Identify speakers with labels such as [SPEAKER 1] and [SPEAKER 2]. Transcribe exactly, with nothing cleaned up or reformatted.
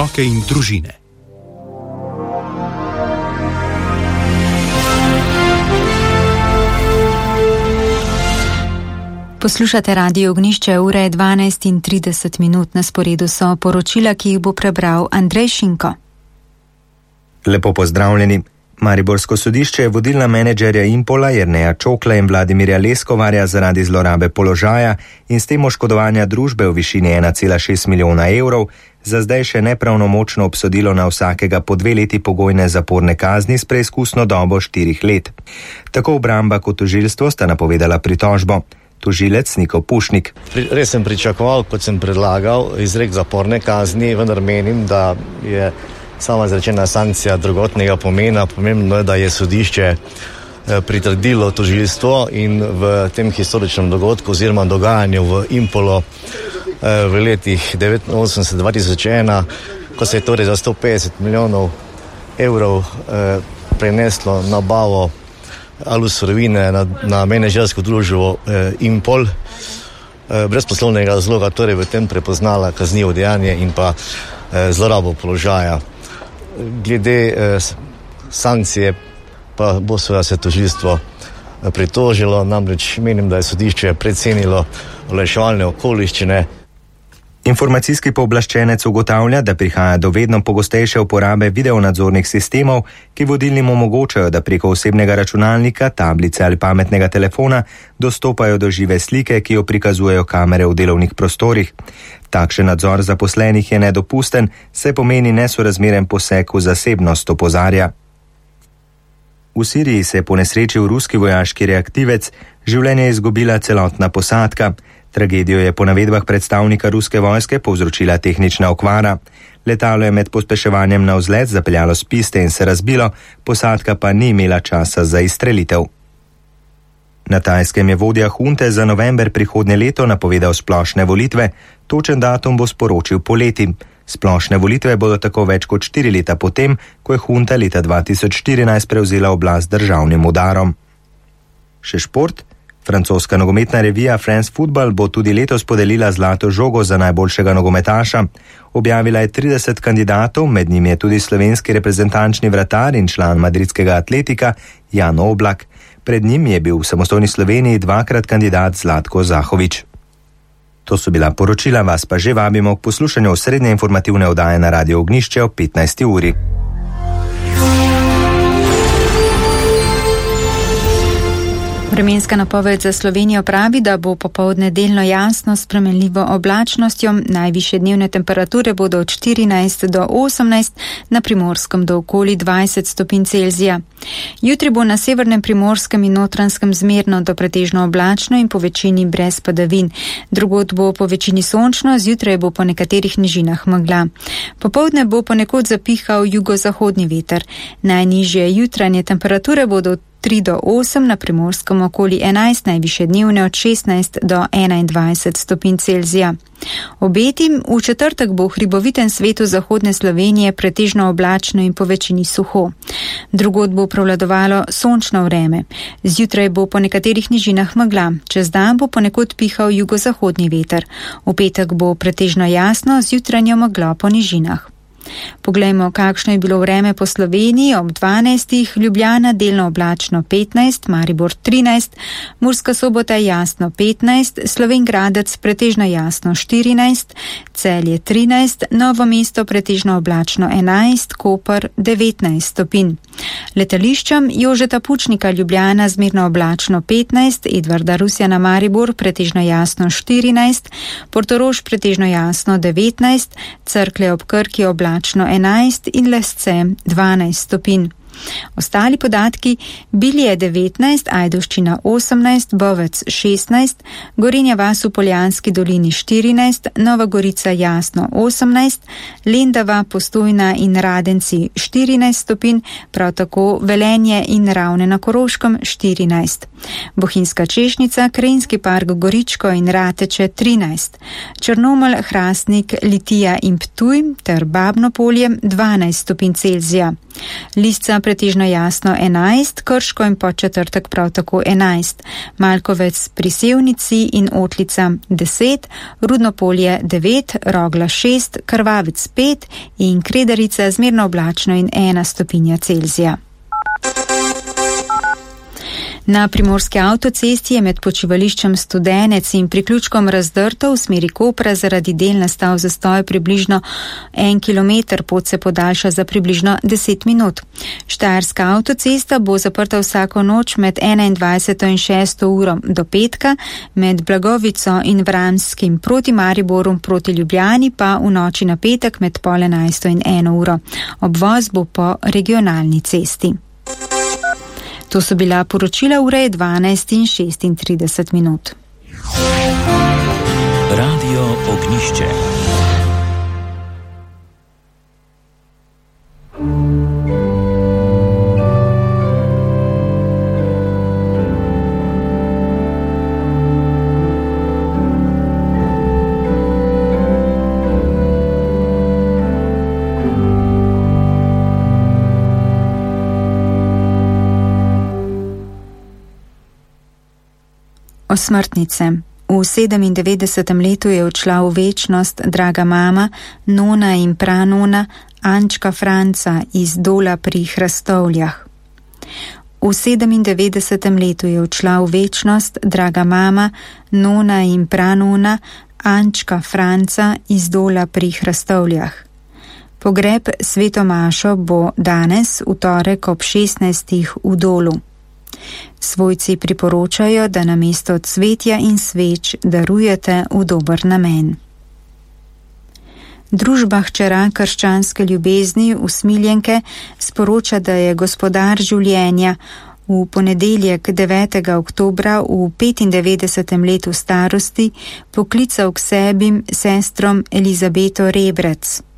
[SPEAKER 1] Otroke in družine.
[SPEAKER 2] Poslušate Radio Ognjišče, ura je dvanajst in trideset minut, na sporedu so poročila, ki jih bo prebral Andrej Šinko.
[SPEAKER 3] Lepo pozdravljeni. Mariborsko sodišče je vodilna menedžerja Impola Jerneja Čokla in Vladimirja Leskovarja zaradi zlorabe položaja in s tem oškodovanja družbe v višini ena cela šest milijona evrov za zdaj še nepravnomočno obsodilo na vsakega po dve leti pogojne zaporne kazni s preizkusno dobo štirih let. Tako obramba kot tožilstvo sta napovedala pritožbo. Tožilec Niko Pušnik.
[SPEAKER 4] Res sem pričakoval, kot sem predlagal, izrek zaporne kazni, vendar menim, da je sama izrečena sankcija drugotnega pomena. Pomembno je, da je sodišče pritrdilo tožilstvo in v tem historičnem dogodku oziroma dogajanju v Impolo v letih devetinosemdeset do dva tisoč ena, ko se je torej za sto petdeset milijonov evrov preneslo nabavo Alus surovine na, na menedžersko družbo eh, Impol, eh, brez poslovnega razloga, torej v tem prepoznala kaznivo dejanje in pa eh, zlorabo položaja. Glede eh, sankcije pa bo seveda se tožilstvo eh, pritožilo, namreč menim, da je sodišče precenilo olajševalne okoliščine.
[SPEAKER 3] Informacijski pooblaščenec ugotavlja, da prihaja do vedno pogostejše uporabe videonadzornih sistemov, ki vodilnim omogočajo, da preko osebnega računalnika, tablice ali pametnega telefona dostopajo do žive slike, ki jo prikazujejo kamere v delovnih prostorih. Takšen nadzor zaposlenih je nedopusten, saj pomeni nesorazmeren poseg v zasebnost, opozarja. V Siriji se je ponesrečil ruski vojaški reaktivec, življenje je izgubila celotna posadka. Tragedijo je po navedbah predstavnika ruske vojske povzročila tehnična okvara. Letalo je med pospeševanjem na vzlet zapeljalo s piste in se razbilo, posadka pa ni imela časa za izstrelitev. Na Tajskem je vodja hunte za november prihodnje leto napovedal splošne volitve, točen datum bo sporočil poleti. Splošne volitve bodo tako več kot štiri leta potem, ko je hunta leta dva tisoč štirinajst prevzela oblast državnim udarom. Še šport. Francoska nogometna revija France Football bo tudi letos podelila zlato žogo za najboljšega nogometaša. Objavila je trideset kandidatov, med njimi je tudi slovenski reprezentančni vratar in član madridskega Atletika Jan Oblak. Pred njim je bil v samostojni Sloveniji dvakrat kandidat Zlatko Zahovič. To so bila poročila, vas pa že vabimo k poslušanju osrednje informativne oddaje na Radio Ognjišče ob petnajsti uri.
[SPEAKER 2] Vremenska napoved za Slovenijo pravi, da bo popoldne delno jasno s spremenljivo oblačnostjo. Najvišje dnevne temperature bodo od štirinajst do osemnajst, na Primorskem do okoli dvajset stopinj Celzija. Jutri bo na severnem Primorskem in Notranjskem zmerno do pretežno oblačno in po večini brez padavin. Drugod bo po večini sončno, zjutraj bo po nekaterih nižinah megla. Popoldne bo ponekod zapihal jugozahodni veter. Najnižje jutranje temperature bodo tri do osem, na Primorskem okoli enajst, najvišje dnevne od šestnajst do enaindvajset stopinj Celzija. Obeti v četrtek bo v hribovitem svetu zahodne Slovenije pretežno oblačno in po večini suho. Drugod bo prevladovalo sončno vreme. Zjutraj bo po nekaterih nižinah megla, čez dan bo ponekod pihal jugozahodni veter. V petek bo pretežno jasno z jutranjo meglo po nižinah. Poglejmo, kakšno je bilo vreme po Sloveniji. Ob dvanajstih Ljubljana delno oblačno petnajst, Maribor trinajst, Murska Sobota jasno petnajst, Slovenj Gradec pretežno jasno štirinajst, Celje trinajst, Novo mesto pretežno oblačno enajst, Koper devetnajst stopinj. Letališčem Jožeta Pučnika Ljubljana zmerno oblačno petnajst, Edvarda Rusjana Maribor pretežno jasno štirinajst, Portorož pretežno jasno devetnajst, Cerklje ob Krki oblačno enajst in Lesce dvanajst stopinj. Ostali podatki: Bilje devetnajst, Ajdovščina osemnajst, Bovec šestnajst, Gorenja vas v Poljanski dolini štirinajst, Nova Gorica jasno osemnajst, Lendava, Postojna in Radenci štirinajst stopinj, prav tako Velenje in Ravne na Koroškem štirinajst. Bohinjska Češnica, Krajinski park Goričko in Rateče trinajst, Črnomelj, Hrastnik, Litija in Ptuj ter Babno polje dvanajst stopinj Celzija. Lisca pretežno jasno enajst, Krško in Podčetrtek prav tako enajst, Malkovec pri Sevnici in Otlica deset, Rudnopolje devet, Rogla šest, Krvavec pet in Kredarica zmerno oblačno in ena stopinja Celzija. Na primorski avtocesti je med počivališčem Studenec in priključkom Razdrto v smeri Kopra zaradi del nastal zastoj približno en kilometer, pot se podaljša za približno deset minut. Štajerska avtocesta bo zaprta vsako noč med enaindvajseto in šesto uro do petka, med Blagovico in Vramskim proti Mariboru proti Ljubljani pa v noči na petek med pol enajsto in eno uro. Obvoz bo po regionalni cesti. To so bila poročila, ure je dvanajst in šestintrideset minut.
[SPEAKER 1] Radio Ognjišče.
[SPEAKER 2] Osmrtnice. V sedemindevetdesetem letu je odšla v večnost draga mama, nona in pranona Ančka Franca iz Dola pri Hrastovljah. V sedemindevetdesetem letu je odšla v večnost draga mama, nona in pranona Ančka Franca iz Dola pri Hrastovljah. Pogreb sveto mašo bo danes, v torek ob šestnajstih v Dolu. Svojci priporočajo, da namesto cvetja in sveč darujete v dober namen. Družba hčera krščanske ljubezni Usmiljenke sporoča, da je gospodar življenja v ponedeljek devetega oktobra v petindevetdesetem letu starosti poklical k sebi sestrom Elizabeto Rebrec.